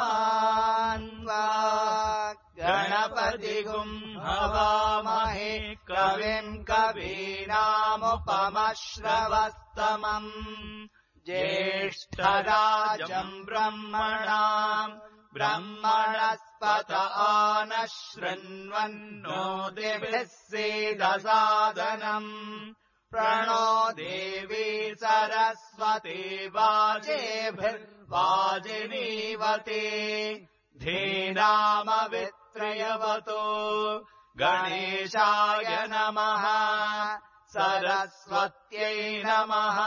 गणानान्वा गणपतिगुम् हवामहे कविम् कवीनामुपमश्रवस्तमम् ज्येष्ठराजम् ब्रह्मणाम् ब्रह्मणस्पत आनः शृण्वन्नो दिभिः सीदसादनम् प्रणो देवी सरस्वती वाजेभिर्वाजिनीवती धीनामवित्रयवतो गणेशाय नमः सरस्वत्यै नमः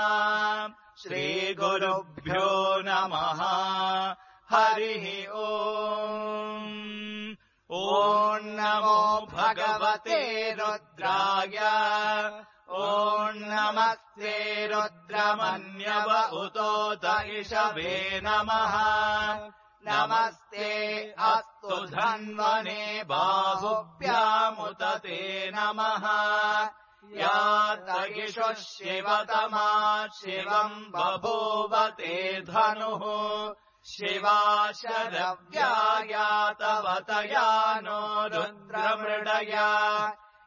श्रीगुरुभ्यो नमः हरिः ओम् ॐ नमो भगवते रुद्राय ॐ नमस्ते रुद्रमन्यव उतोत इषवे नमः नमस्ते अस्तु धन्वने बाहुभ्यामुत ते नमः या तयिषुः शिवतमा शिवम् बभूवते धनुः शिवा शरव्या तव तया नो रुद्रमृडया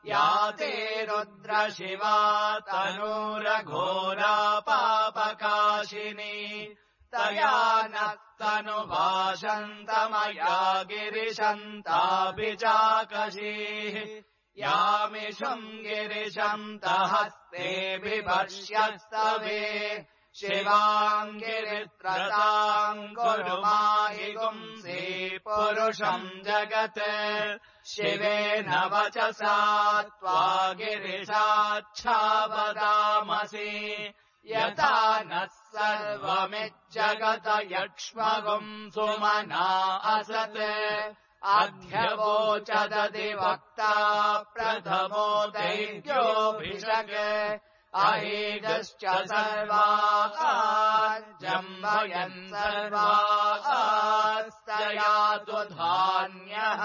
या ते रुद्रशिवा तनूरघोरा पापकाशिनी तया नस्तनुभाषन्तमया गिरिशन्ताभिचाकशीः यामिषुम् गिरिशन्तहस्ते बिभर्ष्यस्तवे शिवाम् गिरित्रताम् कुरु माहि पुंसि पुरुषम् जगत् शिवेन वचसा त्वा गिरिशाच्छावदामसि यथा नः सर्वमिज्जगत यक्ष्मगुम् सुमना असत् अध्यवोचदधिवक्ता प्रथमो दैव्योऽभिषक् अहेगश्च सर्वाजम्भयन् सर्वास्तयातु धान्यः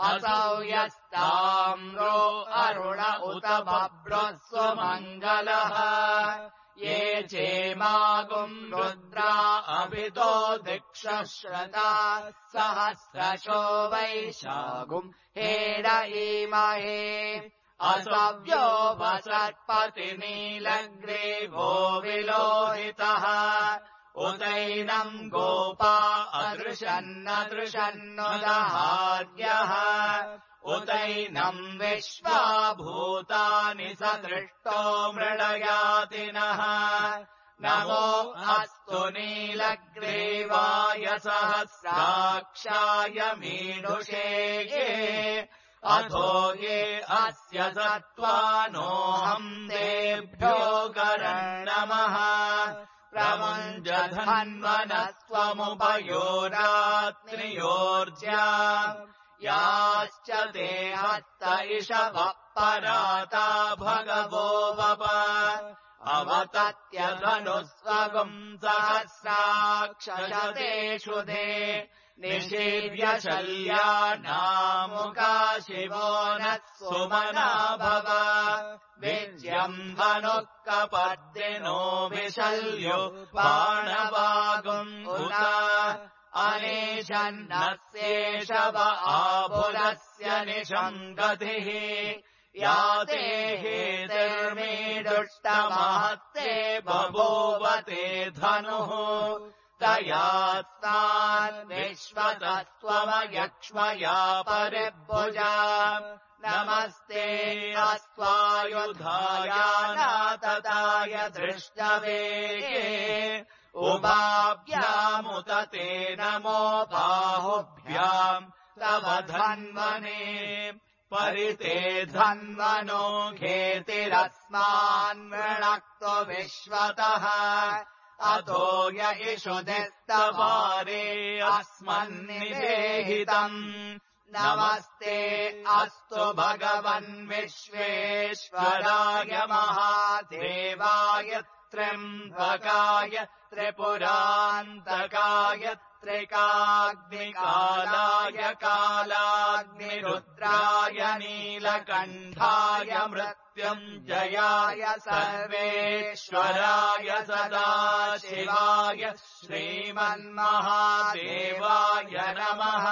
असौ यस्ताम्रो अरुण उत बभ्रः स्वमङ्गलः ये चेमागुम् रुद्रा अभितो दिक्षश्रता सहस्रशो वैशागुम् हेरयीमहे असव्यो वसत्पतिनीलग्रीवो विलोहितः उदैनम् गोपा अदृशन्नदृशन्नुदहार्यः उदैनम् विश्वा भूतानि सदृष्टो मृडयातिनः नमो अस्तु नीलग्रीवाय सहस्राक्षाय मीनुषे ये अथो ये अस्य सत्त्वानोऽहम् तेभ्यो नमः प्रमुञ्जधन्वनस्त्वमुभयोरात्रियोर्ज्या याश्च ते हस्त इषवः पराता भगवो वप अवतत्यधनुस्वगुम् सहस्राक्षशतेषु ते निषीव्य शल्यानामुका शिवो नः सुमना भव विज्यम् धनुः कपर्दिनो विशल्यो बाणवागुम् उत अनेशन्नस्येषव आभुरस्य निषङ्गतिः या ते हेतिर्मीदुष्टमहत्ते बभूवते धनुः तयास्तान् विश्वतस्त्वमयक्ष्मया परिभुजा नमस्ते अस्त्वायुधायानातताय दृष्टवेगे उभाभ्यामुत ते नमो बाहुभ्याम् तव धन्वने परिते धन्वनो घेतिरस्मान् वृणक्तो विश्वतः अथो य इषुधिस्तवारे अस्मन्निदेहितम् नमस्ते अस्तु भगवन् विश्वेश्वराय महादेवाय त्र्यम्बकाय त्रिपुरान्तकाय तत्रिकाग्निकालाय कालाग्निरुद्राय नीलकण्ठाय मृत्युञ्जयाय सर्वेश्वराय सदाशिवाय श्रीमन्महादेवाय नमः।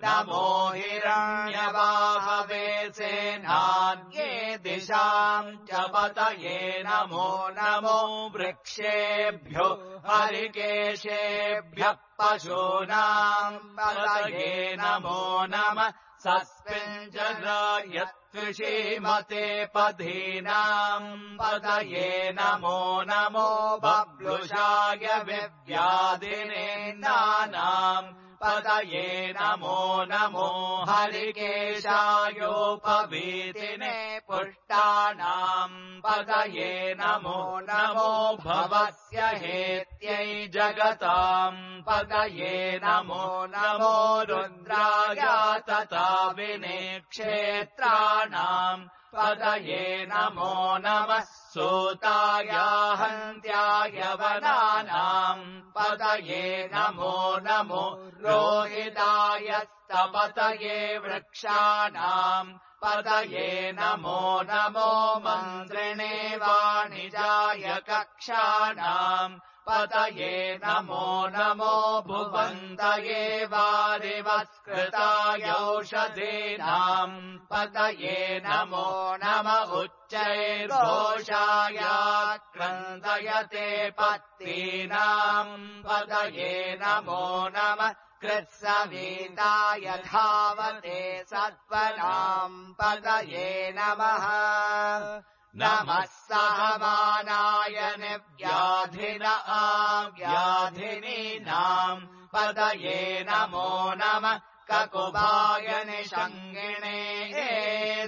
नमो हिरण्यवाहवे सेनान्ये दिशाम् च पतये नमो नमो वृक्षेभ्यो हरिकेशेभ्यः पशूनाम् पतये नमो नमः। सस्मिञ्जरायत्विषीमते पदीनाम् पतये नमो नमो बब्लुषाय विव्याधिने नानाम् पतये नमो नमो हरिकेशायोपवीतिने पुष्टानाम् पतये नमो नमो भवस्य हेत्यै जगताम् पतये नमो नमो रुद्राय तथा विनेक्षेत्राणाम् पतये नमो नमः। सूताय हन्त्याय वनानाम् पतये नमो नमो रोहिताय स्तपतये वृक्षाणाम् पतये नमो नमो मन्त्रिणे वाणिजाय कक्षाणाम् पतये नमो नमो भुवन्तये वारिवस्कृताय औषधीनाम् पतये नमो नम उच्चैर्घोषाय क्रन्दयते पत्तीनाम् पतये नमो नमः। कृत्सवीताय धावते सत्त्वनाम् पतये नमः। नमः सहमानाय निव्याधिन आव्याधिनीनाम् पतये नमो नमः। ककुभाय निषङ्गिणे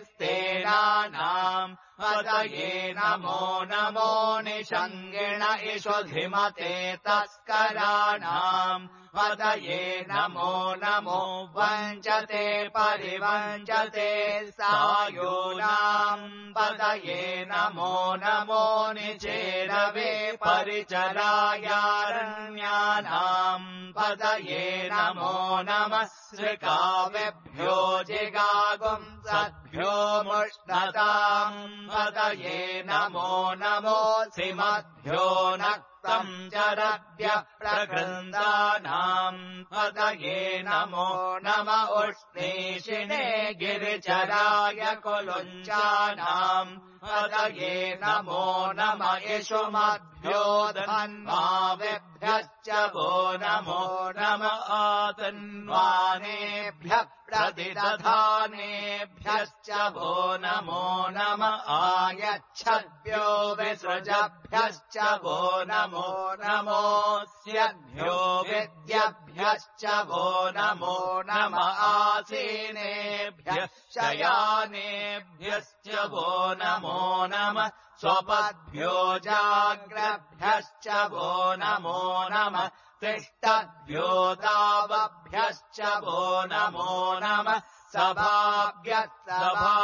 स्तेनानाम् पतये नमो नमो निषङ्गिण इषुधिमते तस्कराणाम् पतये नमो नमो वञ्चते परिवञ्चते सायूनाम् पतये नमो नमो निचेरवे परिचरायारण्यानाम् पतये नमो नमः। श्रिकावेभ्यो जिगागुम् सद्भ्यो मुष्णताम् पतये नमो नमो सिमद्भ्यो नक्तम् चरभ्यः प्रगृन्दानाम् पतये नमो नम उष्णीषिणे गिरिचराय कुलुञ्चानाम् पतये नमो नम इषुमद्भ्यो धन्वावेभ्यश्च वो नमो नम आतन्वानेभ्यः प्रतिदधानेभ्यश्च वो नमो नम आयच्छद्भ्यो विसृजभ्यश्च वो नमो नमोऽस्यभ्यो विद्यभ्यश्च वो नमो नम आसीनेभ्यः शयानेभ्यश्च वो नमो नमः। स्वपद्भ्यो जाग्रभ्यश्च वो नमो नमः। तिष्ठद्भ्यो तावभ्यश्च वो नमो नमः।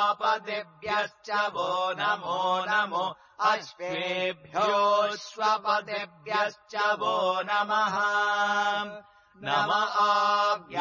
सभापतिभ्यश्च वो नमो नमो अश्वेभ्योऽश्वपतिभ्यश्च वो नमः। नम आव्याधिनीभ्यो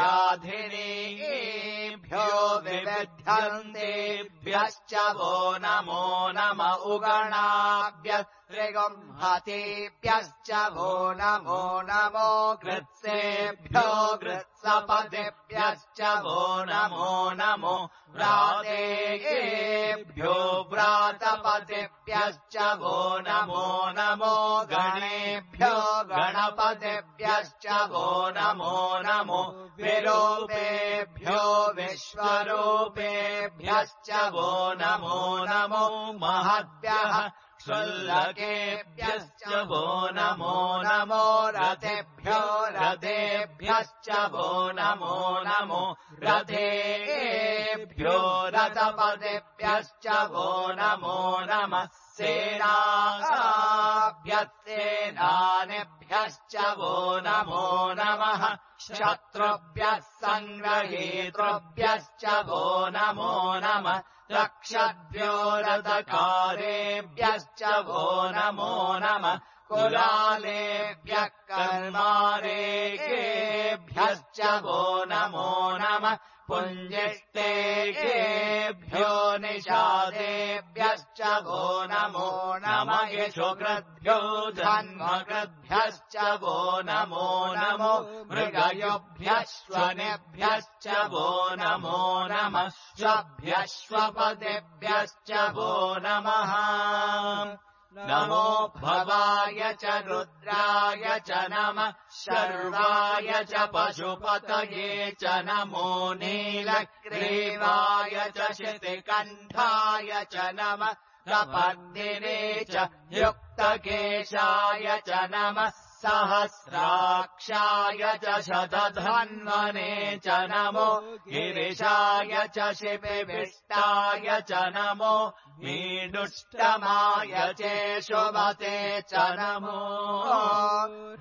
विविध्यन्तेभ्यश्च वो नमो नम उगणाभ्यः त्रिगुंहतेभ्यश्च वो नमो नमो कृत्सेभ्यो कृत्सपतिभ्यश्च वो नमो नमो व्रातेभ्यो व्रातपतिभ्यश्च वो नमो नमो गणेभ्यो गणपतिभ्यश्च वो नमो नमो विरूपेभ्यो विश्वरूपेभ्यश्च वो नमो नमो महद्भ्यः क्षुल्लकेभ्यश्च वो नमो नमो रथेभ्यो रथेभ्यश्च वो नमो नमो रथेभ्यो रथपतिभ्यश्च वो नमो नमः। सेनाभ्यस्तेनानेभ्यश्च वो नमो नमः। शत्रुभ्यः सङ्ग्रहीतृभ्यश्च वो नमो नमः। रक्षद्भ्यो रथकारेभ्यश्च वो नमो नमः। कुलालेभ्यः कर्मारेकेभ्यश्च वो नमो नमः पुञ्जिष्टेकेभ्यो निषादेभ्यश्च वो नमो नमः यशोकृद्भ्यो धन्मकृद्भ्यश्च वो नमो नमो मृगयोभ्यश्वनेभ्यश्च वो नमो नमः श्वभ्यश्वपदेभ्यश्च वो नमः नमो भवाय च रुद्राय च नमः शर्वाय च पशुपतये च नमो नीलग्रीवाय च शितिकण्ठाय च नमः प्रपद्दिने च युक्तकेशाय च नमः सहस्राक्षाय च शतधन्वने च नमो गिरिशाय च शिपिविष्टाय च नमो मीडुष्टमाय चेशुमते च नमो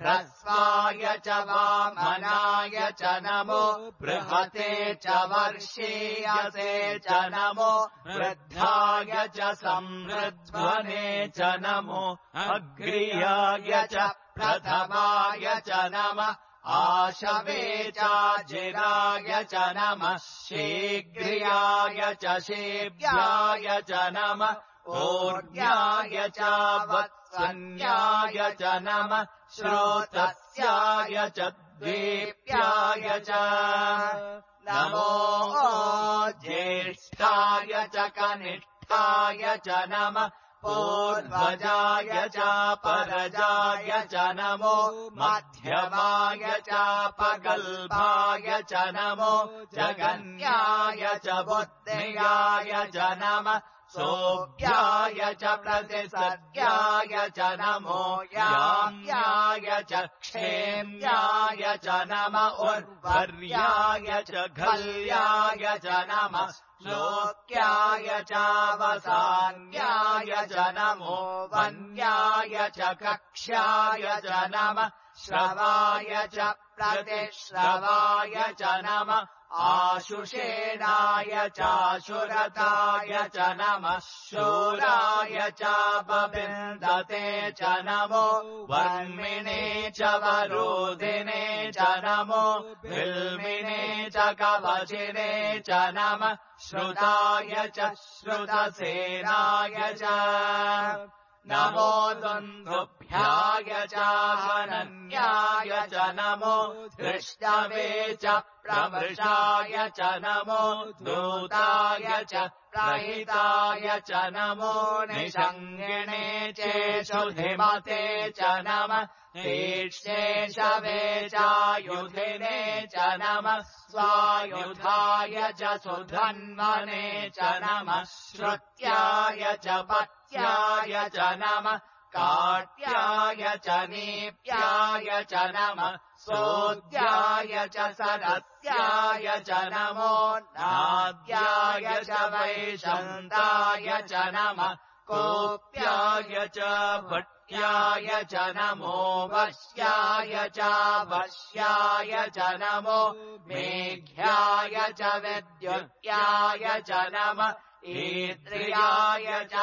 ह्रस्वाय च वामनाय च नमो बृहते च वर्षीयसे च नमो वृद्धाय च संवृध्वने च नमो अग्र्याय च प्रथमाय च नमः आशवे चाजिराय च नमः शीघ्र्याय च शीघ्राय च नमः ऊर्ध्याय च वत्सन्याय च नमः श्रोतस्याय च द्वीप्याय च नमो ज्येष्ठाय च कनिष्ठाय च नमः पूर्वजाय च परजाय च नमो मध्यमाय च पगल्भाय च नमो जगन्याय च बुद्ध्याय च नमः सोऽभ्याय च प्रतिसद्याय च नमो याम्याय च क्षेम्याय च नमः उर्वर्याय च घल्याय च नमः लोक्याय च वसान्याय च नमो वन्याय च कक्ष्याय च नमः श्रवाय च प्रतिश्रवाय च नमः आशुषेणाय चाशुरताय च नमः शूराय च बबिन्दते च नमो वर्मिणे च वरोधिने च नमो बिल्मिने च कवचिने च नमः श्रुताय च श्रुतसेनाय च नमो दुन्दुभ्याय च हनन्याय च नमो धृष्टवे च प्रमृषाय च नमो दूताय च प्रहिताय च नमो निषङ्गिणे चेषुधिमते च नमः तीक्ष्णेशवे चायुधिने च नमः स्वायुधाय च सुधन्वने च नमः श्रुत्याय च पत्याय च नमः काट्याय च नीप्याय च नमः सोद्याय च सरस्याय च नमो नाद्याय च वैशन्ताय च नमः कोप्याय च भट्याय च नमो वश्याय च वश्याय च नमो मेघ्याय च विद्युत्याय च नमः ईद्रियाय च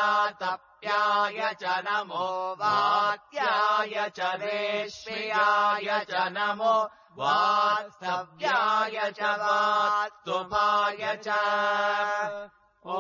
तप्याय च नमो वात्याय च रेश्म्याय च नमो वास्तव्याय च वास्तुपाय च ॐ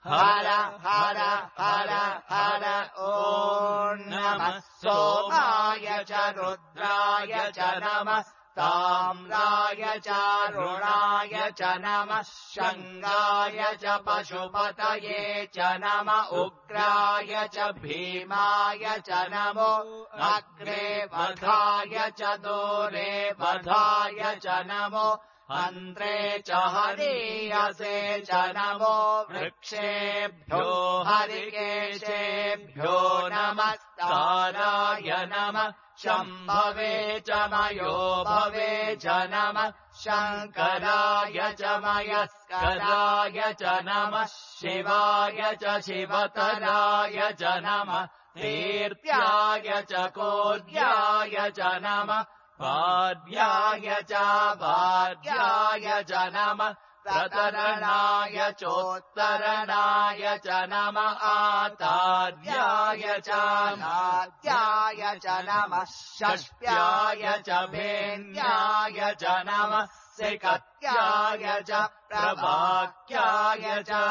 हर हर हर हर ॐ नमः सोमाय च रुद्राय च नमः ताम्राय च रुणाय च नमः शङ्गाय च पशुपतये च नमः उग्राय च भीमाय च नमो अग्रे वधाय च दूरे वधाय च नमो अन्त्रे च हरीयसे च नमो वृक्षेभ्यो हरिकेशेभ्यो नमस्काराय नमः शम्भवे च मयो भवे च नमः शङ्कराय च मयस्कराय च नमः शिवाय च शिवतराय च नमः तीर्थ्याय च कोद्याय च नमः पाद्याय च भाद्याय च नमः प्रतरणाय चोत्तरणाय च नमः आतार्याय च नाद्याय च नमः षष्ट्याय च भेन्याय च नमः सिकत्याय च प्रवाक्याय च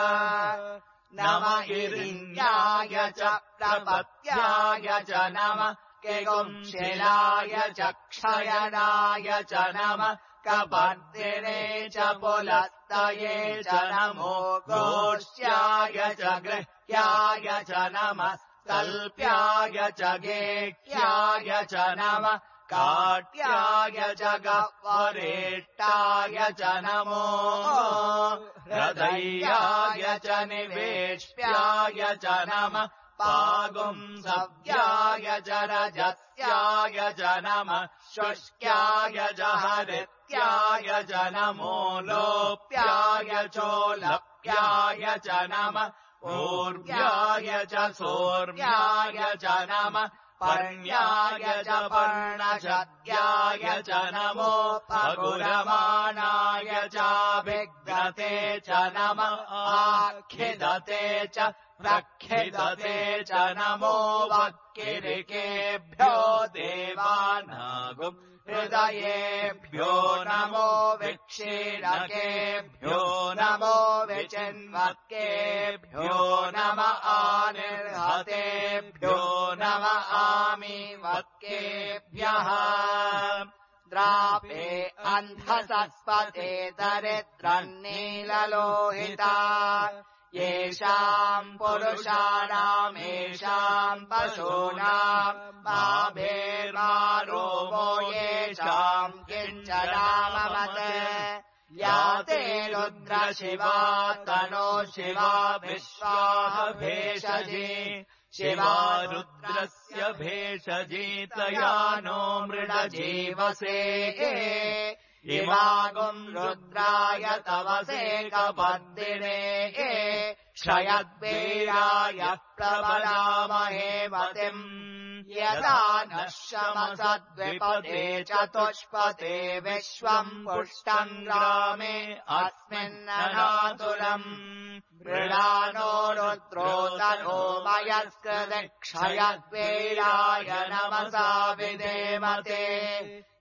नमः हिरण्याय च प्रपत्याय च नमः केगुंशिलाय च क्षयनाय च नमः कपर्दिने च पुलस्तये च नमो गोष्ठ्याय च गृह्याय च नमः कल्प्याय च गेह्याय च नमः काट्याय च गह्वरेष्टाय च नमो हृदयाय च निवेश्याय च नमः पागुंसव्याय च रजस्याय च नमः शुष्क्याय च हरित्याय च नमो लोप्याय चोलप्याय च नमः ऊर्व्याय च सोर्व्याय च नमः पर्ण्याय च पर्णशद्याय च नमो पगुरमाणाय चाभिघ्नते च नमः आखिदते च प्रखिदते च नमो वक्किरिकेभ्यो देवानागुम् हृदयेभ्यो नमो विक्षीणकेभ्यो नमो विचिन्वक्केभ्यो नमः आनिर्हतेभ्यो नमः आमीवक्केभ्यः द्रापे अन्धसस्पते दरिद्रन्नीललोहिता येषाम् पुरुषाणामेषाम् पशूनाम् माभेर्मारोमो येषाम् किञ्चनाममत् या ते रुद्रशिवा तनो शिवा विश्वाः भेषजी शिवा रुद्रस्य भेषजी तया नो मृडजीवसे इमागुम् रुद्राय तवसे कपर्दिने क्षयद्वीराय प्रबलामहे मतिम् यदा नः शमसद्विपदे चतुष्पदे विश्वम् पुष्टम् ग्रामे अस्मिन्ननातुरम् मृडानो रुद्रो तनो मयस्कृतक्षयद्वीराय नमसा विधेमते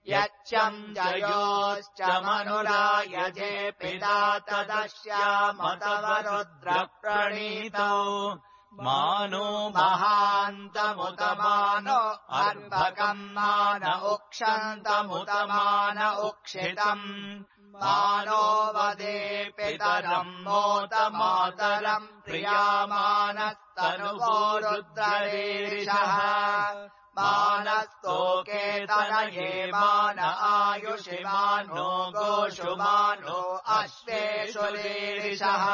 यच्चम् जयोश्च मनुरायजे पिता तदस्यामतव रुद्रप्रणीतौ मानो महान्तमुत मानो अर्भकम् मान उक्षन्तमुत मान उक्षितम् मानो वदे पितरम् मोत मातरम् प्रियामानस्तनुवो रुद्ररीरिषः मानस्तोके तनये मान आयुषि मानो गोषु मानो अश्वेषु रीरिषः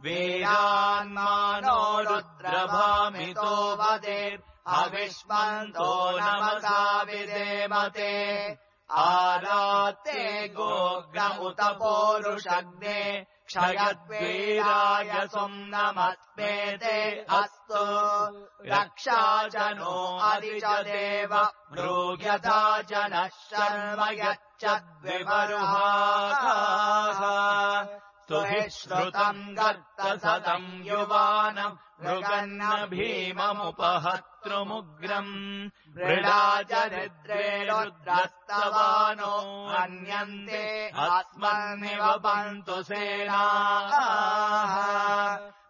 वीरान्मानो रुद्रभामितो वदेत् अविष्मन्तो नमसा विधेमते आरात्ते गोग्र उत पोरुषग्ने क्षयद्वीराय सुम्नमस्मेते अस्तु रक्षा च नो अधि च देव ब्रूयथा च नः शर्म यच्चद्विमरुहाः स्तुहि श्रुतम् गर्तसतम् युवानम् मृगन्न भीममुपहतृमुग्रम् मृडाचरिद्रे रुद्रस्तवानो हन्यन्ते अस्मन्निवपन्तु सेनाः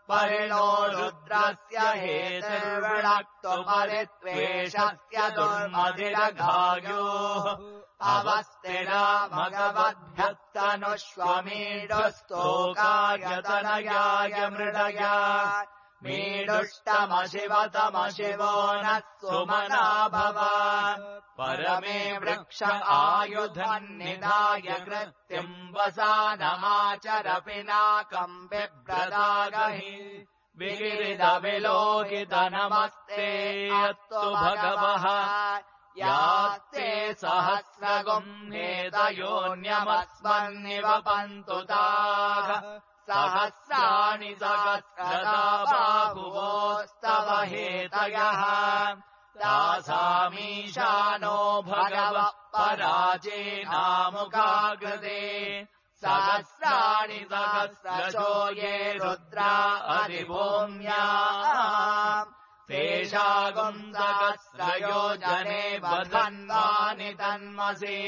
परिणो रुद्रस्य हेतिर्वृणक्तु परित्वेषस्य दुर्मधिरघायोः अवस्तिरा भगवद्भ्यस्तनुष्वमीडुस्तोकायतनयाय मृडया मीडुष्टमशिवतमशिवो नः सुमना भव परमे वृक्ष आयुधन्निधाय कृत्यम् वसानमाचर पिनाकम् बिभ्रदागहि विगिरिदविलोकित नमस्ते अस्तु भगवः यास्ते सहस्रगुम्नेतयोऽन्यमस्मन्निवपन्तु ताः सहस्राणि सहस्रदा बाहुवोस्तव हेतयः तासामीशानो भगवः पराजेनामुखाकृते सहस्राणि सहस्रशो ये रुद्रा अधिभूम्या तेषागुम् सहस्रयोजने वधन्वानि तन्मसि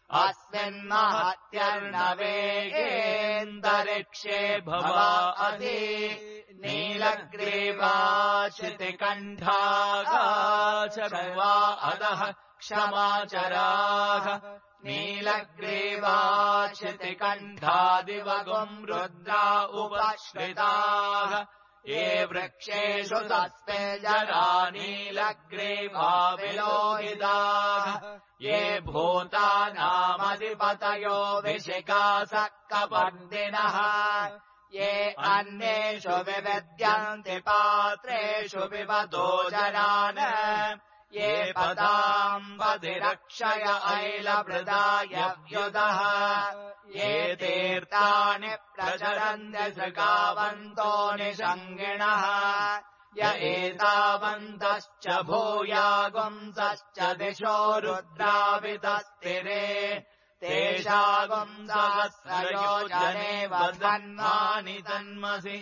अस्मिन्महत्यर्णवेगेऽन्तरिक्षे भवा अधि नीलग्रीवाश्रितिकण्ठागा अधः क्षमाचराः नीलग्रीवाश्रितिकण्ठादिवगुम् रुद्रा उपश्रिताः ये वृक्षेषु तस्मे जरा नीलग्रीवा विलोहिताः ये भूतानामधिपतयो विशिखासः कपर्दिनः ये अन्येषु विविद्यन्ति पात्रेषु पिबतो जनान् ये पदाम्बधिरक्षय ऐलभृदाय व्युदः ये तीर्थानि प्रचरन्ति सृगावन्तो निषङ्गिणः य एतावन्तश्च भूयागुंसश्च दिशो रुद्रावितस्तिरे तेषागुम् सहस्रयोजने वधन्वानि तन्मसि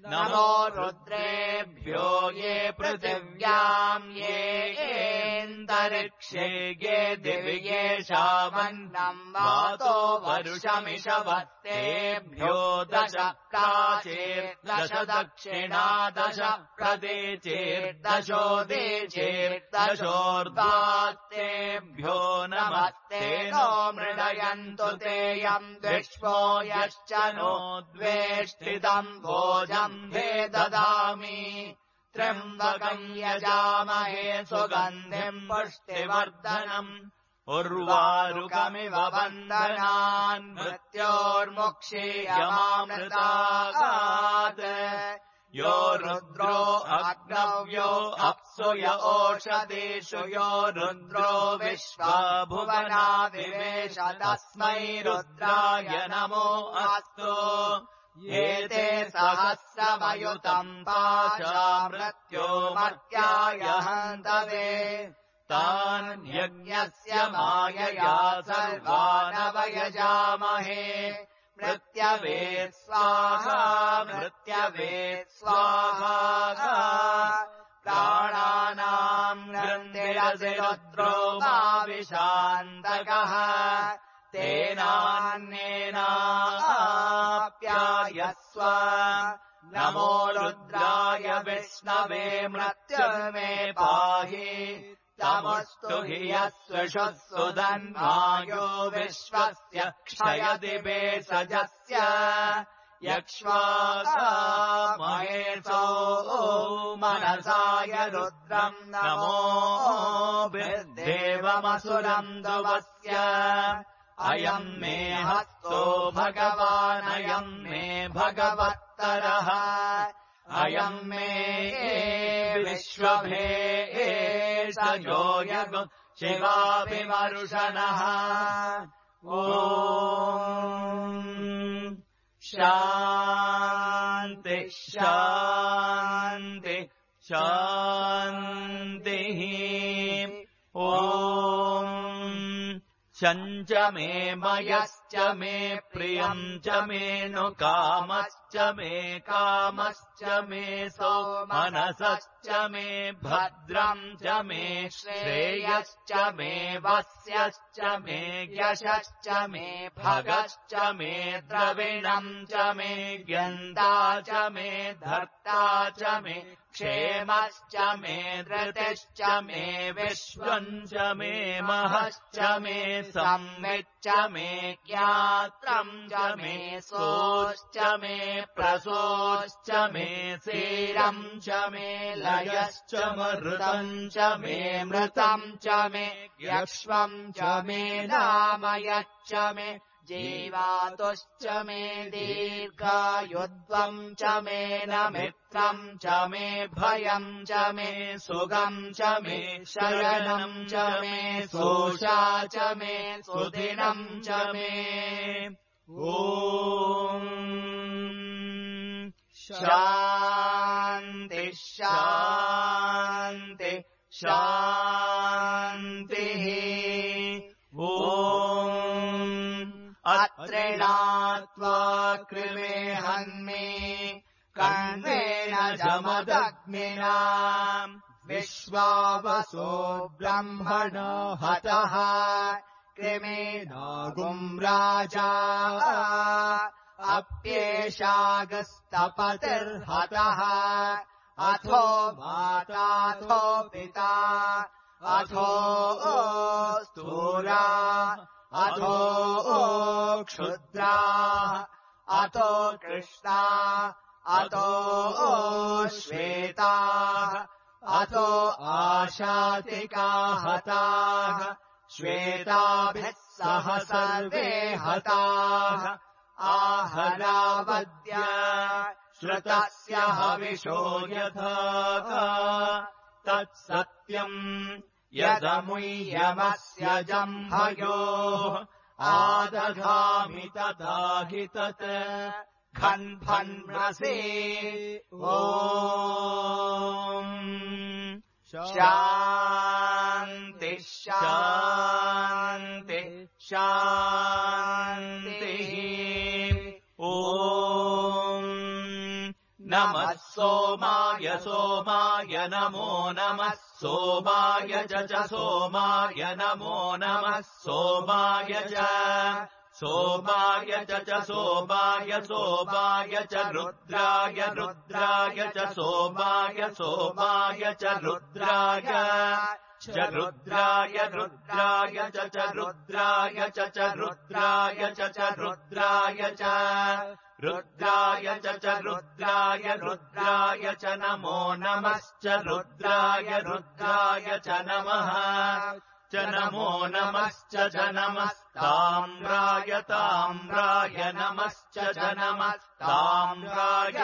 नमो रुद्रेभ्यो ये पृथिव्याम् येऽन्तरिक्षे ये दिवि येषामन्नम् वातो वरुषमिषवत्तेभ्यो दश प्राचेर्दश दक्षिणादश प्रदेचेर्दशोदीचेर्दशोर्ध्वात्तेभ्यो नमस्ते नो मृडयन्तु तेऽयम् विश्वो यश्च नो द्वेष्टितम् भोजम् भे ददामि त्र्यम्बकम् यजामहे सुगन्धिम् पुष्टिवर्धनम् उर्वारुकमिव बन्धनान् मृत्योर्मुक्षीयमामृतागात् यो रुद्रो अग्नव्यो अप्सु य ओषधीषु यो रुद्रो विश्वभुवना विवेश तस्मै रुद्राय नमो अस्तु एते सहस्रमयुतम् पाशा मृत्योमर्त्याय हन्तवे तान् यज्ञस्य मायया सर्वानवयजामहे मृत्यवे स्वाहा मृत्यवे स्वाहा प्राणानाम् नृन्दिरसि रुद्रो माविशान्तकः तेनान्येनाप्यायस्व नमो रुद्राय विष्णवे मृत्युर्मे पाहि तमस्तु हि यस्वशुः सुधन्वायो विश्वस्य क्षयति भेषजस्य यक्ष्वामहेशो मनसाय रुद्रम् नमो देवमसुरम् दुवस्य अयम् मे हस्तो भगवानयम् मे भगवत्तरः अयम् मे विश्वभे सजो यगु शिवाभिमरुषणः ॐ शान्ति शान्ति शान्तिः ॐ शञ्च मे मयश्च मे प्रियम् च मे नु कामश्च मे कामश्च मे सौमनसश्च मे भद्रम् च मे श्रेयश्च मे वस्यश्च मे यशश्च मे भगश्च मे द्रविणम् च मे गन्धा च मे धर्ता च मे क्षेमश्च मे धृतिश्च मे विश्वम् च मे महश्च मे सम्मिच्च मे ज्ञात्रम् च मे सोश्च मे प्रसोश्च मे सीरम् च मे लयश्च मृतम् च मे मृतम् च मे यक्ष्वम् च मे नामयच्च मे जीवातुश्च मे दीर्घायुध्वम् च मे न मित्रम् च मे भयम् च मे सुगम् च मे शरणम् च मे सोषा च मे सुदिनम् च मे ॐ शान्ति शान्ति शान्तिः ॐ अत्रिणात्वा कृमे हन्मे कण्वेन जमदग्निना विश्वावसो ब्रह्मण हतः कृमेनागुम् राजा अप्येषागस्तपतिर्हतः अथो माताथो पिता अथो स्थूला अथो क्षुद्रा अथो कृष्णा अथो श्वेता अथो आशातिका हताः श्वेताभिः सह सर्वे हताः आहरावद्य श्रुतस्य हविषो यथा तत्सत्यम् यदमुह्यमस्य जम्भयोः आदधामि तदाहि तत् खन्फन्मसि ॐ शान्ति शान्ति शान्तिः ॐ नमः सोमाय सोमाय नमो नमः सोमाय च सोमाय नमो नमः सोमाय च सोमाय च सोमाय सोमाय च रुद्राय रुद्राय च सोमाय सोमाय च रुद्राय रुद्राय रुद्राय च रुद्राय च रुद्राय च रुद्राय च रुद्राय च रुद्राय रुद्राय च नमो नमश्च रुद्राय रुद्राय च नमः च नमो नमश्च च नमस्ताम्राय ताम्राय नमश्च च नमस्ताम्राय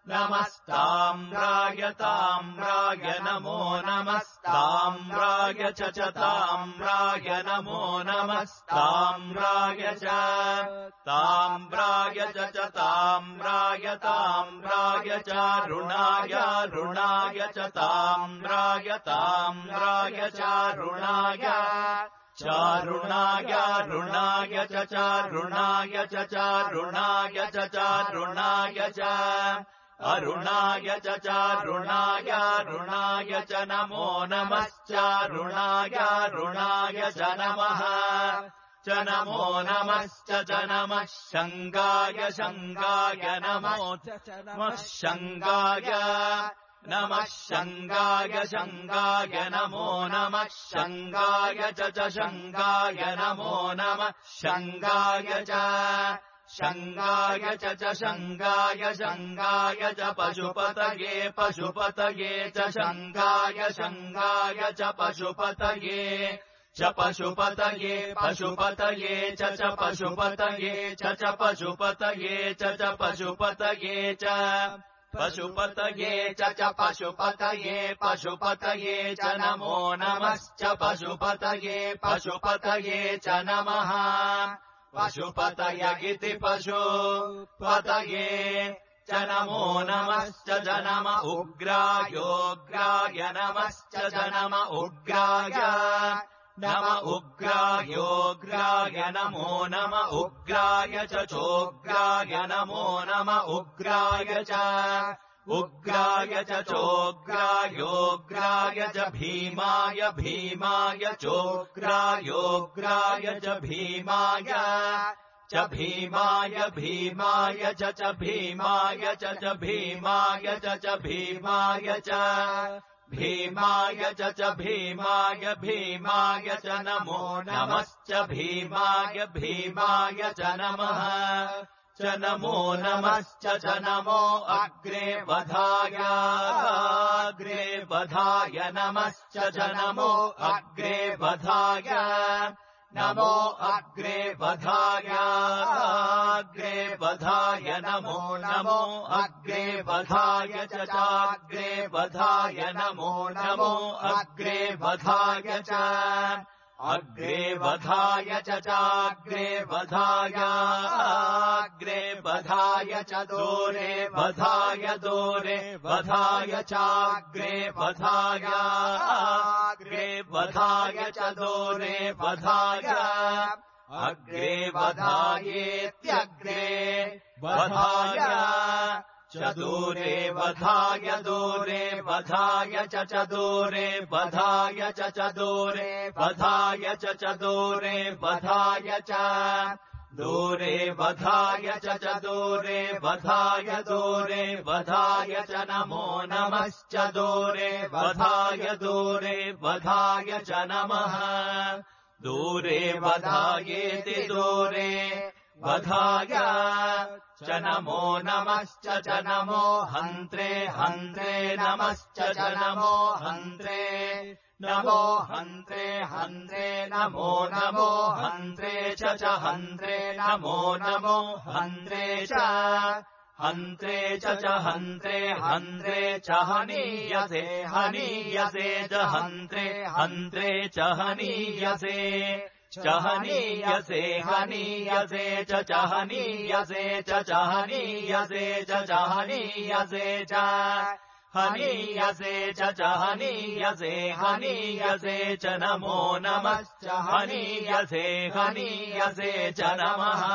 नमस्ताम्राय ताम्राय नमो नमस्ताम्राय च ताम्राय नमो नमस्ताम्राय च ताम्राय च ताम्राय ताम्राय च ऋणाय ऋणाय च ताम्राय ताम्राय च ऋणाय चारुणाय ऋणाय च ऋणाय च ऋणाय च ऋणाय च अरुणाय च ऋणाय ऋणाय च नमो नमश्चारुणाय ऋणाय च नमः च नमो नमश्च च नमः शङ्गाय शङ्गाय नमो नमः शङ्गाय नमः शङ्गाय शङ्गाय नमो नमः शङ्गाय च शङ्गाय नमो नमः शङ्गाय च शङ्गाय च शङ्गाय शङ्गाय च पशुपतये पशुपतये च शङ्गाय शङ्गाय च पशुपतये च पशुपतये पशुपतये च पशुपतये च पशुपतये च पशुपतये च पशुपतये च पशुपतये पशुपतये च नमो नमश्च पशुपतये पशुपतये च नमः पशुपतय इति पशुपतये च नमो नमश्च च नम उग्रायोग्राय नमश्च च नम उग्राय नम उग्रायोग्राय नमो नम उग्राय च चोग्राय नमो नम उग्राय च उग्राय च चोग्रायोग्राय च भीमाय भीमाय चोग्रायोग्राय च भीमाय च भीमाय भीमाय च भीमाय च भीमाय च भीमाय च भीमाय च भीमाय भीमाय च नमो नमश्च भीमाय भीमाय च नमः च नमो नमश्च च नमो अग्रे वधाय अग्रे वधाय नमश्च च नमो अग्रे वधाय नमो अग्रे वधाय अग्रे वधाय नमो नमो अग्रे वधाय च चाग्रे वधाय नमो नमो अग्रे वधाय च अग्रे वधाय च चाग्रे वधाय अग्रे वधाय च दोरे वधाय दोरे वधाय चाग्रे वधाय अग्रे वधाय च दोरे वधाय अग्रे वधायेत्यग्रे वधाय च दूरे वधाय दूरे वधाय च दूरे वधाय च दूरे वधाय च दूरे वधाय च दूरे वधाय च दूरे वधाय दूरे वधाय च नमो नमश्च दूरे वधाय च नमः दूरे वधायेति दूरे वधाय च नमो नमश्च च नमो हन्त्रे हन्त्रे नमश्च च नमो हन्त्रे नमो हन्त्रे हन्त्रे नमो नमो हन्त्रे च हन्त्रे नमो नमो हन्त्रे च हन्त्रे च हन्त्रे हन्त्रे च हनीयसे हनीयसे च हन्त्रे हन्त्रे च हनीयसे च हनीयसे हनीयसे च हनीयसे च हनीयसे च हनीयसे च हनीयसे च हनीयसे हनीयसे च नमो नमश्च हनीयसे हनीयसे च नमः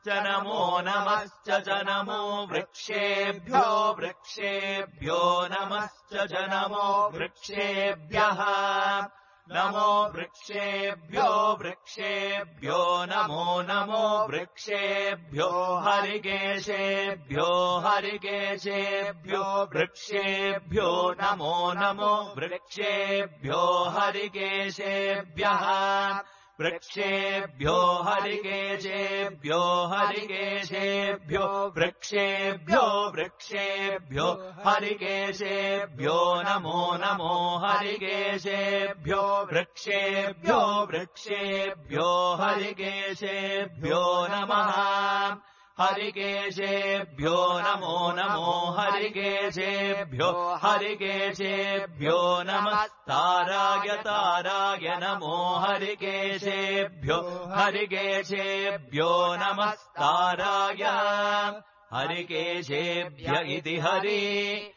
च नमो नमश्च च नमो वृक्षेभ्यो वृक्षेभ्यो नमश्च च नमो वृक्षेभ्यः नमो वृक्षेभ्यो वृक्षेभ्यो नमो नमो वृक्षेभ्यो हरिकेशेभ्यो हरिकेशेभ्यो वृक्षेभ्यो नमो नमो वृक्षेभ्यो हरिकेशेभ्यः वृक्षेभ्यो हरिकेशेभ्यो हरिकेशेभ्यो वृक्षेभ्यो वृक्षेभ्यो हरिकेशेभ्यो नमो नमो हरिकेशेभ्यो वृक्षेभ्यो वृक्षेभ्यो हरिकेशेभ्यो नमः हरिकेशेभ्यो नमो नमो हरिकेशेभ्यो हरिकेशेभ्यो नमस्ताराय ताराय नमो हरिकेशेभ्यो हरिकेशेभ्यो नमस्ताराय हरिकेशेभ्य इति हरिकेशेभ्यः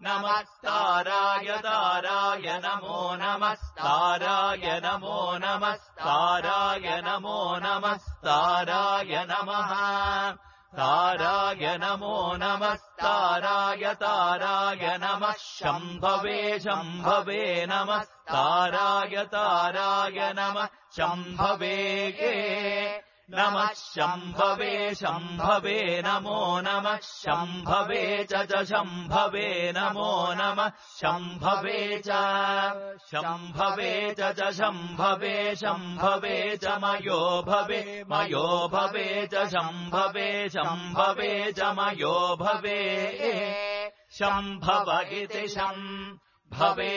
नमस्ताराय ताराय नमो नमस्ताराय नमो नमस्ताराय नमो नमस्ताराय नमः ताराय नमो नमस्ताराय ताराय नमः शम्भवे शम्भवे नमस्ताराय ताराय नमः शम्भवे नमः शम्भवे शम्भवे नमो नमः शम्भवे च शम्भवे नमो नमः शम्भवे च शम्भवे च शम्भवे शम्भवे च मयो भवे च शम्भवे शम्भवे च मयो भवे शम्भव इति शम्भवे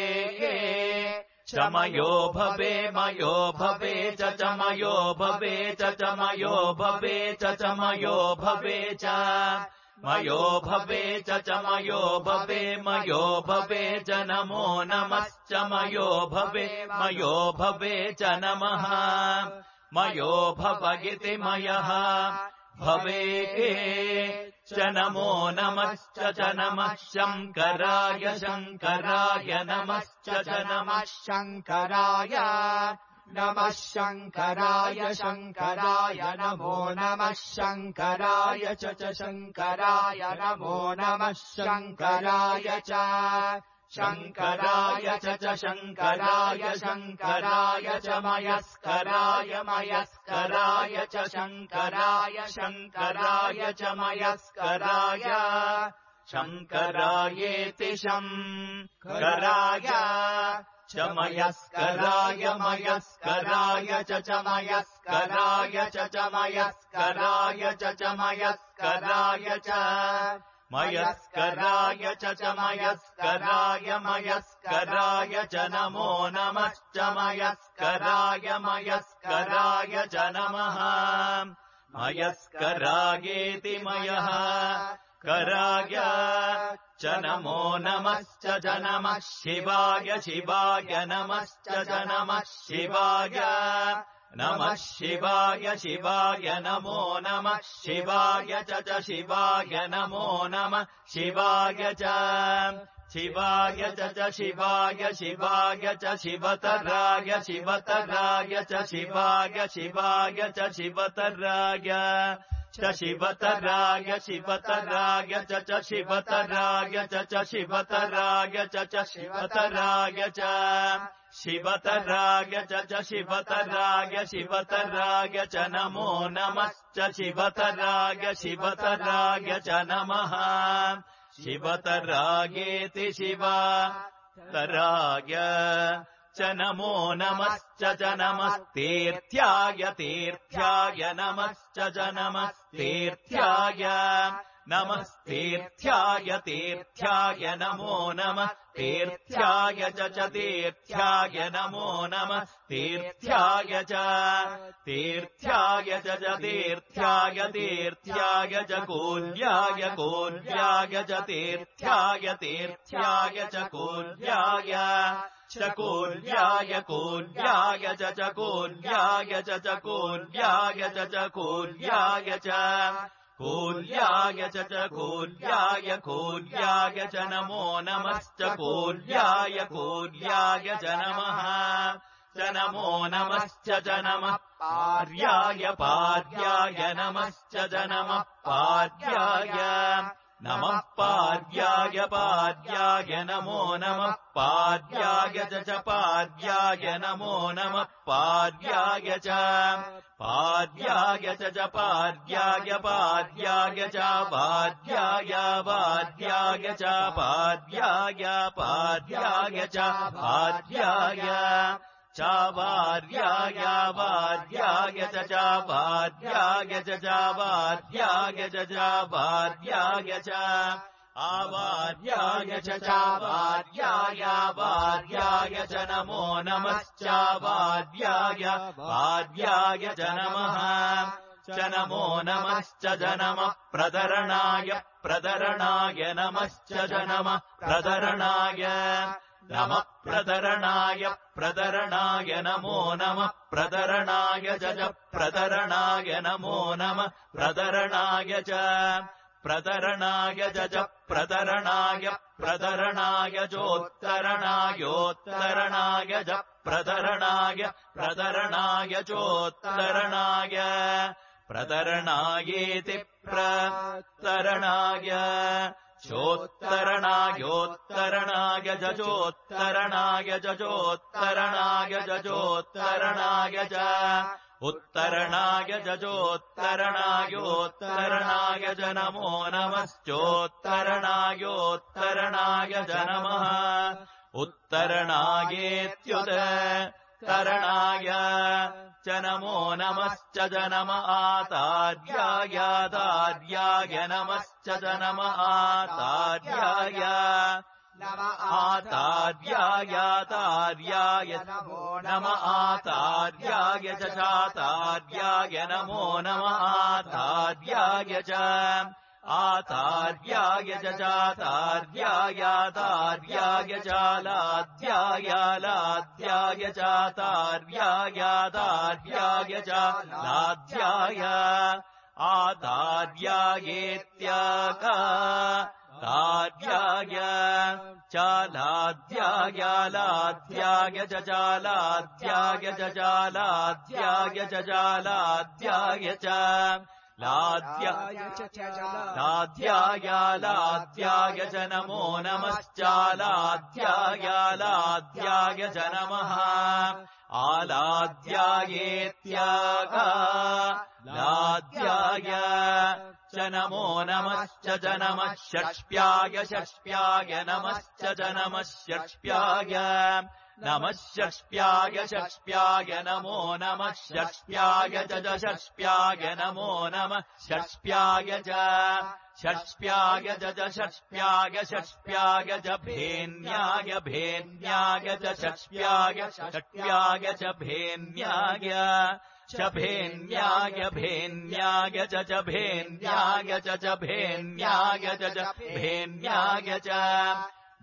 च मयो भवे च मयो भवे च मयो भवे च मयो भवे च मयो भवे च मयो भवे च नमो नमश्च मयो भवे च नमः मयो भव इति मयः भवे च नमो नमश्च च नमः शङ्कराय शङ्कराय नमश्च च नमः शङ्कराय नमः शङ्कराय शङ्कराय नमो नमः शङ्कराय च शङ्कराय नमो नमः शङ्कराय च शङ्कराय च शङ्कराय शङ्कराय च मयस्कराय मयस्कराय च शङ्कराय शङ्कराय च मयस्कराय शङ्करायेति शङ्कराय च मयस्कराय मयस्कराय च मयस्कराय च मयस्कराय च मयस्कराय च मयस्कराय च मयस्कराय मयस्कराय च नमो नमश्च मयस्कराय मयस्कराय च नमः मयस्करायेति मयः कराय च नमो नमश्च च नमः शिवाय शिवाय नमश्च च नमः शिवाय नमः शिवाय शिवाय नमो नमः शिवाय च शिवाय नमो नमः शिवाय च शिवाय च शिवाय शिवाय च शिवतराय शिवतराय च शिवाय शिवाय च शिवतराय च शिवतराय शिवतराय च शिवतराय च शिवतराय च शिवतराय च शिवतराय च शिवतराय शिवतराय च नमो नमश्च शिवतराय शिवतराय च नमः शिवतरायेति शिवतराय च नमो नमश्च च नमस्तीर्थ्याय तीर्थ्याय नमश्च च नमस्तीर्थ्याय नमस्तीर्थ्याय तीर्थ्याय नमो नमः तीर्थ्याय च तीर्थ्याय नमो नमः तीर्थ्याय च तीर्थ्याय च तीर्थ्याय तीर्थ्याय च कूल्याय कूल्याय च तीर्थ्याय तीर्थ्याय च कूल्याय च कूल्याय कूल्याय च कूल्याय च कूल्याय च कूल्याय च कूल्याय च कूल्याय कूल्याय च नमो नमश्च कूल्याय कूल्याय च नमः च नमो नमश्च च नमः पार्याय पार्याय नमश्च च नमः पार्याय नमः पार्याय पार्याय नमो नमः पार्याय च पार्याय नमो नमः पार्याय च पार्याय च पार्याय पार्याय च पार्याय पार्याय च पार्याय पार्याय च पार्याय च पार्याय पार्याय च पार्याय च पार्याय च पार्याय च आवार्याय च पार्याय पार्याय च नमो नमश्च पार्याय पार्याय च नमः च नमो नमश्च च नमः प्रदरणाय प्रदरणाय नमश्च च नमः प्रदरणाय नमः प्रदरणाय प्रदरणाय नमो नमः प्रदरणाय च प्रदरणाय नमो नमः प्रदरणाय च प्रदरणाय च प्रदरणाय प्रदरणाय चोत्तरणायोत्तरणाय च प्रदरणाय प्रदरणाय चोत्तरणाय प्रदरणायेति प्रतरणाय चोत्तरणायोत्तरणाय च चोत्तरणाय च चोत्तरणाय च चोत्तरणाय च उत्तरणाय च चोत्तरणायोत्तरणाय च नमो नमश्चोत्तरणायोत्तरणाय च नमः उत्तरणायेत्युत्तरणाय च नमो नमश्च च नम आतार्याय दार्याय नमश्च च नम आतार्याय आतार्याय तार्याय नम आतार्याय च चातार्याय नमो नम आतार्याय च आतार्याय च चातार्याय तार्याय च लाद्याय लाद्याय च तार्याय तार्याय च लाद्याय आतार्यायेत्यका लाद्याय च लाद्याय लाद्याय च लाद्याय च लाद्याय च लाद्याय च लाद्याय लाद्याय लाद्याय च नमो नमश्च लाद्याय लाद्याय च नमः आलाद्यायेत्यगा लाद्याय च नमो नमश्च च नमः षष्प्याय षष्प्याय नमश्च च नमः षष्प्याय नमः षष्प्याय षष्प्याय नमो नमः षष्प्याय च षष्प्याय नमो नमः षष्प्याय च षष्प्याय च षष्प्याय षष्प्याय च भेन्याय भेन्याय च षष्प्याय षष्प्याय च भेन्याय च भेन्याय भेन्याय च भेन्याय च भेन्याय च भेन्याय च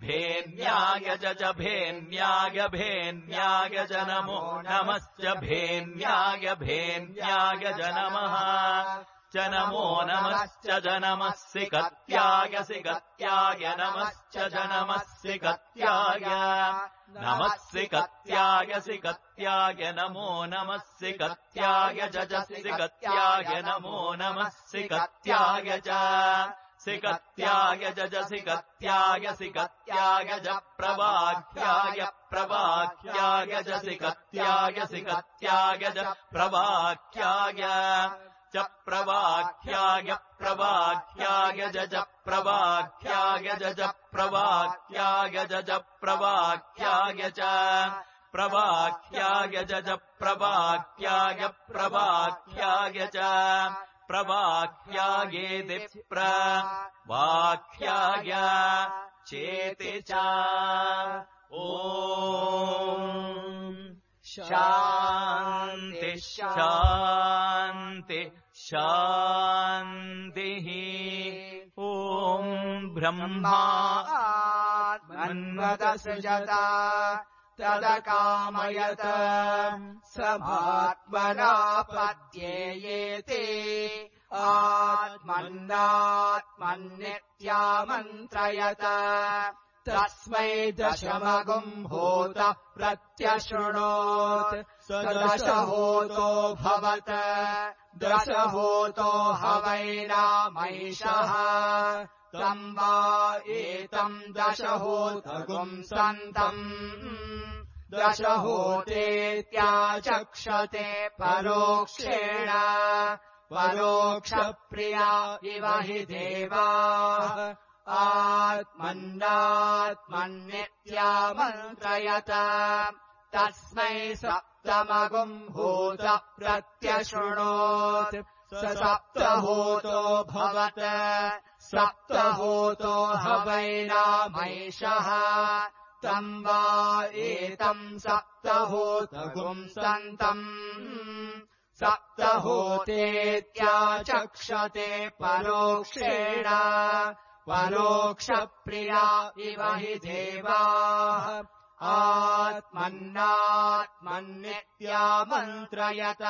भेन्याय च भेन्याय भेन्याय च नमो नमश्च भेन्याय भेन्याय च नमः च नमो नमश्च च नमः सिकत्याय सिकत्याय नमश्च च नमः सिकत्याय नमः सिकत्याय सिकत्याय नमो नमः सिकत्याय च सिकत्याय नमो नमः सिकत्याय च सिकत्याय च सिकत्याय सिकत्याय च प्रवाख्याय प्रवाख्याय च सिकत्याय सिकत्याय च प्रवाख्याय च प्रवाख्याय प्रवाख्याय च प्रवाख्याय च प्रवाख्याय च प्रवाख्याय च प्रवाख्याय च प्रवाख्याय प्रवाख्याय च प्रवाख्यायेति प्रवाख्याय चेति च ॐ शान्ति शान्ति शान्तिः ॐ ब्रह्मात्मन्वदसृजत तदकामयत सभात्मनापद्येयेते आत्मन्नात्मन्नित्यामन्त्रयत तस्मै दशमगुम्भूत प्रत्यशृणोत् स दशहोतो भवत दशहोतो हवैनामैषः तम् वा एतम् दशहोतगुम् सन्तम् दशहोतेत्याचक्षते परोक्षेण परोक्षप्रिया इव हि देवाः आत्मन्नात्मन्नित्यामन्त्रयत तस्मै सप्तमगुम्भूत प्रत्यशृणोत् स सप्तहोतो भवत सप्तहोतो हवैनामैषः तम् वा एतम् सप्तहोतगुम् सन्तम् सप्तहोतेत्याचक्षते परोक्षेण परोक्षप्रिया इव हि देवाः आत्मन्नात्मन्नित्यामन्त्रयत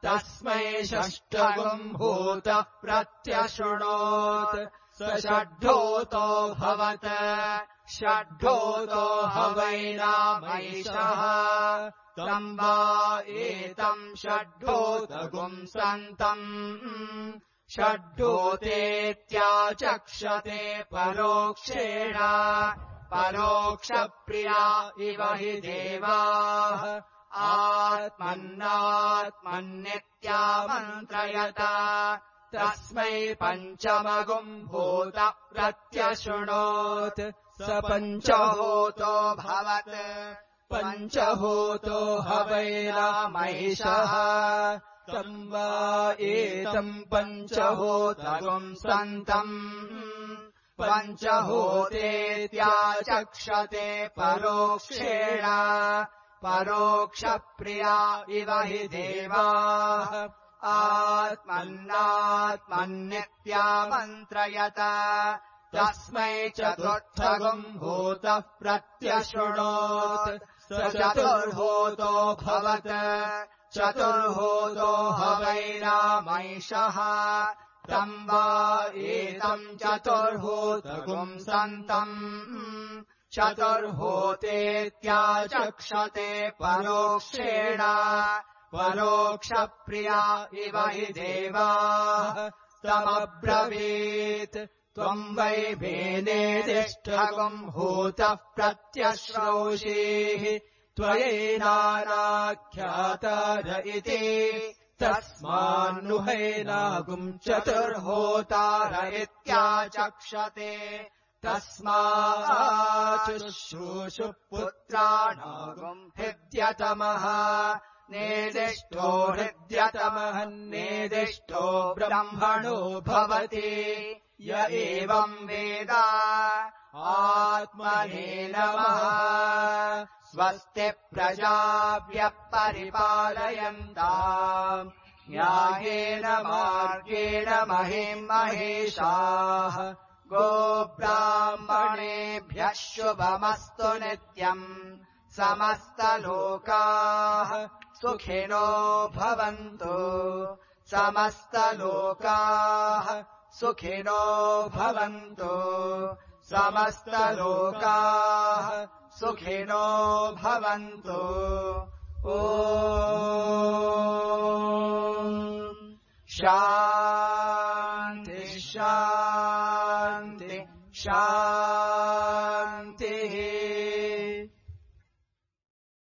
तस्मै षष्ठगुम्भूत प्रत्यशृणोत् स षड्ढोतो भवत षड्ढोतो हवैनामैषः तम् वा एतम् षड्ढोतगुम् सन्तम् षड्ढोतेत्याचक्षते परोक्षेण परोक्षप्रिया इव हि देवाः आत्मन्नात्मन्नित्यामन्त्रयत तस्मै पञ्चमगुम्भूत प्रत्यशृणोत् स पञ्चहोतो भवत पञ्चहोतो हवैनामैषः तम् वा एतम् पञ्चहोतगुम् सन्तम् पञ्चहोतेत्याचक्षते परोक्षेण परोक्षप्रिया इव हि देवाः आत्मन्नात्मन्नित्यामन्त्रयत तस्मै चतुर्थगुम्भूत प्रत्यशृणोत् स चतुर्होतो भवत चतुर्होतो हवैनामैषः तम् वा एतम् चतुर्होतगुम् सन्तम् चतुर्होतेत्याचक्षते परोक्षेण परोक्षप्रिया इव हि देवाः तमब्रवीत् त्वम् वै भेनेदिष्ठगुम्भूतः प्रत्यश्रौषीः त्वयैनानाख्यातार इति तस्मान्नुहैनागुम् चतुर्होतार इत्याचक्षते तस्माच्शुश्रूषु पुत्राणागुम् हृद्यतमः नेदिष्टो हृद्यतमः नेदिष्टो ब्रह्मणो भवति य एवम् वेद आत्मने नमः स्वस्ति प्रजाभ्यः परिपालयन्ताम् न्यायेन मार्गेण महीम् महेशाः गोब्राह्मणेभ्यः शुभमस्तु नित्यम् समस्तलोकाः सुखिनो भवन्तु समस्तलोकाः सुखिनो भवन्तु समस्तलोकाः सुखिनो भवन्तु।